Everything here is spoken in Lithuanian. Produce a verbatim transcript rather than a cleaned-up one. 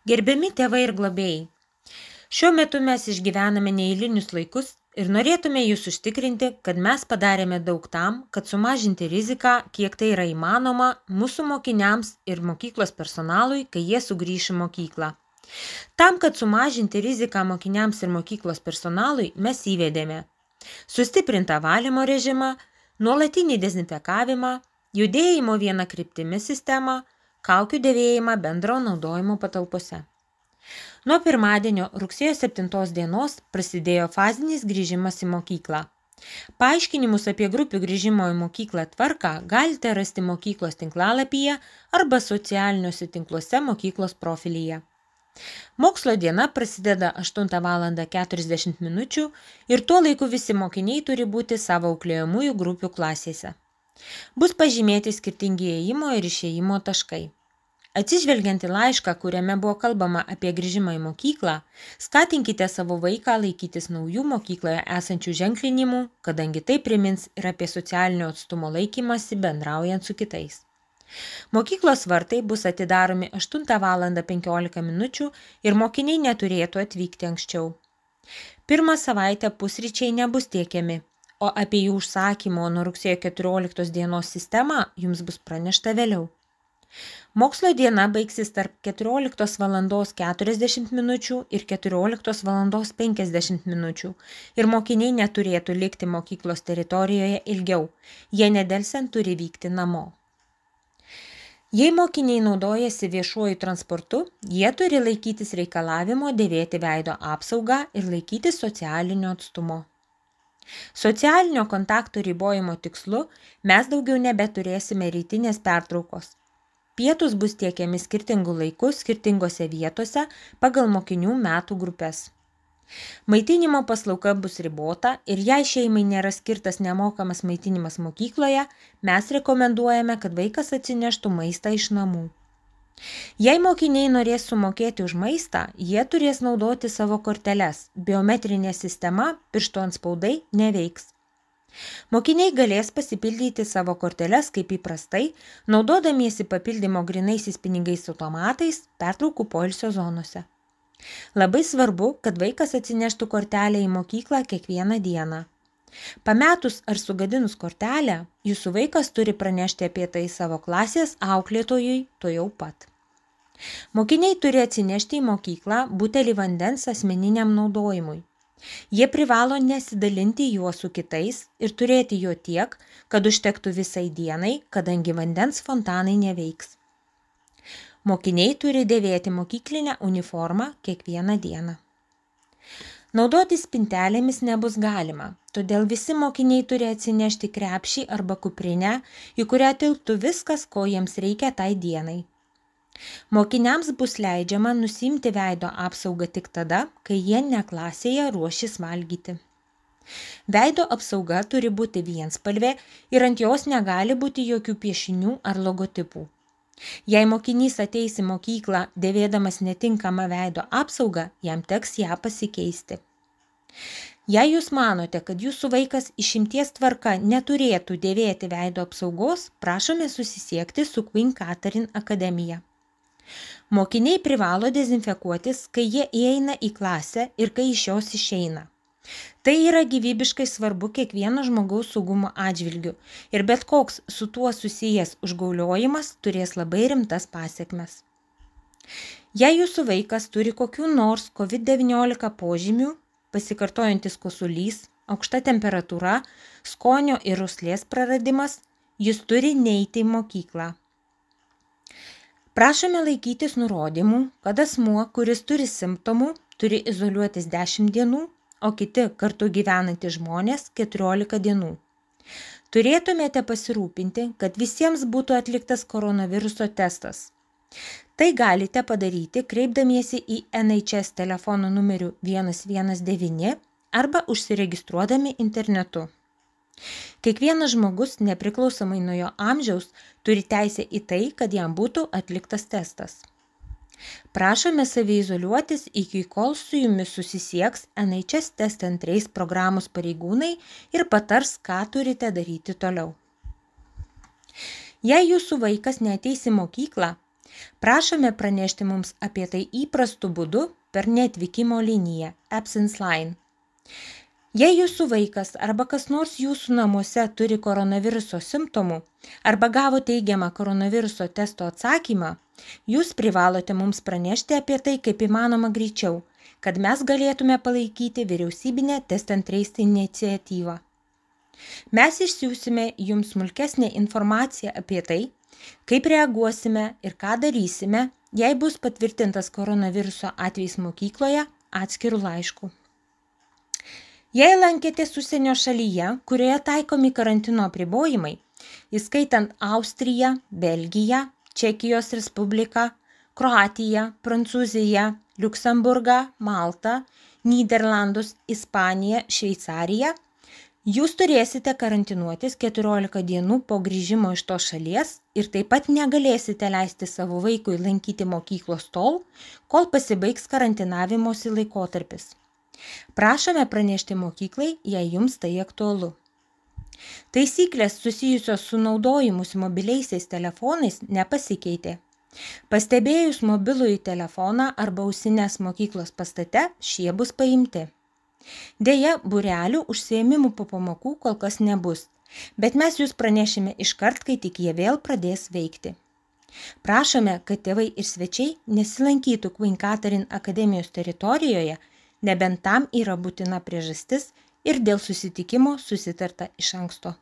Gerbiami tėvai ir globėjai, šiuo metu mes išgyvename neeilinius laikus ir norėtume jūs užtikrinti, kad mes padarėme daug tam, kad sumažinti riziką, kiek tai yra įmanoma, mūsų mokiniams ir mokyklos personalui, kai jie sugrįš į mokyklą. Tam, kad sumažinti riziką mokiniams ir mokyklos personalui, mes įvedėme sustiprintą valymo režimą, nuolatinį dezinfekavimą, judėjimo viena kryptimi sistemą, kaukių dėvėjimą bendro naudojimo patalpose. Nuo pirmadienio rugsėjo septintos dienos prasidėjo fazinis grįžimas į mokyklą. Paaiškinimus apie grupių grįžimo į mokyklą tvarką galite rasti mokyklos tinklalapyje arba socialiniuose tinkluose mokyklos profilyje. Mokslo diena prasideda aštuntą valandą keturiasdešimt minučių ir tuo laiku visi mokiniai turi būti savo auklėjamųjų grupių klasėse. Bus pažymėti skirtingi įėjimo ir išėjimo taškai. Atsižvelgiant į laišką, kuriame buvo kalbama apie grįžimą į mokyklą, skatinkite savo vaiką laikytis naujų mokykloje esančių ženklinimų, kadangi tai primins ir apie socialinio atstumo laikymąsi bendraujant su kitais. Mokyklos vartai bus atidaromi aštuntą valandą penkiolika minučių ir mokiniai neturėtų atvykti anksčiau. Pirmą savaitę pusryčiai nebus tiekiami, o apie jų užsakymo nuo rugsėjo keturioliktos dienos sistemą jums bus pranešta vėliau. Mokslo diena baigsis tarp keturioliktos valandos keturiasdešimt minučių ir keturioliktos valandos penkiasdešimt minučių ir mokiniai neturėtų likti mokyklos teritorijoje ilgiau, jie nedelsiant turi vykti namo. Jei mokiniai naudojasi viešuoju transportu, jie turi laikytis reikalavimo dėvėti veido apsaugą ir laikytis socialinio atstumo. Socialinio kontakto ribojimo tikslu mes daugiau nebeturėsime rytinės pertraukos. Pietus bus tiekiami skirtingų laikų skirtingose vietose pagal mokinių metų grupės. Maitinimo paslauga bus ribota ir jei šeimai nėra skirtas nemokamas maitinimas mokykloje, mes rekomenduojame, kad vaikas atsineštų maistą iš namų. Jei mokiniai norės sumokėti už maistą, jie turės naudoti savo korteles. Biometrinė sistema, pirštų antspaudai neveiks. Mokiniai galės pasipildyti savo korteles kaip įprastai, naudodamiesi papildymo grynaisiais pinigais automatais pertraukų poilsio zonose. Labai svarbu, kad vaikas atsineštų kortelę į mokyklą kiekvieną dieną. Pametus ar sugadinus kortelę, jūsų vaikas turi pranešti apie tai savo klasės auklėtojui tuojau pat. Mokiniai turi atsinešti į mokyklą butelį vandens asmeniniam naudojimui. Jie privalo nesidalinti juo su kitais ir turėti jo tiek, kad užtektų visai dienai, kadangi vandens fontanai neveiks. Mokiniai turi dėvėti mokyklinę uniformą kiekvieną dieną. Naudotis spintelėmis nebus galima, todėl visi mokiniai turi atsinešti krepšį arba kuprinę, į kurią tilptų viskas, ko jiems reikia tai dienai. Mokiniams bus leidžiama nusiimti veido apsaugą tik tada, kai jie ne klasėje ruošis valgyti. Veido apsauga turi būti vienspalvė ir ant jos negali būti jokių piešinių ar logotipų. Jei mokinys ateis į mokyklą dėvėdamas netinkamą veido apsaugą, jam teks ją pasikeisti. Jei jūs manote, kad jūsų vaikas išimties tvarka neturėtų dėvėti veido apsaugos, prašome susisiekti su Queen Catherine akademija. Mokiniai privalo dezinfekuotis, kai jie įeina į klasę ir kai iš jos išeina. Tai yra gyvybiškai svarbu kiekvieno žmogaus saugumo atžvilgiu ir bet koks su tuo susijęs užgauliojimas turės labai rimtas pasekmes. Jei jūsų vaikas turi kokių nors covid devyniolika požymių, pasikartojantis kosulys, aukšta temperatūra, skonio ir uoslės praradimas, jis turi neiti į mokyklą. Prašome laikytis nurodymų, kad asmuo, kuris turi simptomų, turi izoliuotis dešimt dienų, o kiti kartu gyvenantys žmonės keturiolika dienų. Turėtumėte pasirūpinti, kad visiems būtų atliktas koronaviruso testas. Tai galite padaryti kreipdamiesi į N H S telefono numeriu vienas vienas devyni arba užsiregistruodami internetu. Kiekvienas žmogus, nepriklausomai nuo jo amžiaus, turi teisę į tai, kad jam būtų atliktas testas. Prašome saviizoliuotis iki kol su jumis susisieks N H S test centrais programos pareigūnai ir patars, ką turite daryti toliau. Jei jūsų vaikas neateis į mokyklą, Prašome pranešti mums apie tai įprastu būdu per neatvykimo liniją Absence Line. Jei jūsų vaikas arba kas nors jūsų namuose turi koronaviruso simptomų arba gavo teigiamą koronaviruso testo atsakymą, jūs privalote mums pranešti apie tai kaip įmanoma greičiau, kad mes galėtume palaikyti vyriausybinę Test and Trace iniciatyvą. Mes išsiųsime jums smulkesnę informaciją apie tai, kaip reaguosime ir ką darysime, jei bus patvirtintas koronaviruso atvejis mokykloje atskirų laiškų. Jei lankėtės užsienio šalyje, kurioje taikomi karantino apribojimai, įskaitant Austriją, Belgiją, Čekijos Respubliką, Kroatiją, Prancūziją, Liuksemburgą, Maltą, Nyderlandus, Ispaniją, Šveicariją, jūs turėsite karantinuotis keturiolika dienų po grįžimo iš tos šalies ir taip pat negalėsite leisti savo vaikui lankyti mokyklos tol, kol pasibaigs karantinavimosi laikotarpis. Prašome pranešti mokyklai, jei jums tai aktualu. Taisyklės susijusios su naudojimusi mobiliaisiais telefonais nepasikeitė. Pastebėjus mobilųjį telefoną arba ausines mokyklos pastate, šie bus paimti. Deja, būrelių užsiėmimų po pamokų kol kas nebus, bet mes jūs pranešime iškart, kai tik jie vėl pradės veikti. Prašome, kad tėvai ir svečiai nesilankytų Queen Catherine akademijos teritorijoje, nebent tam yra būtina priežastis ir dėl susitikimo susitarta iš anksto.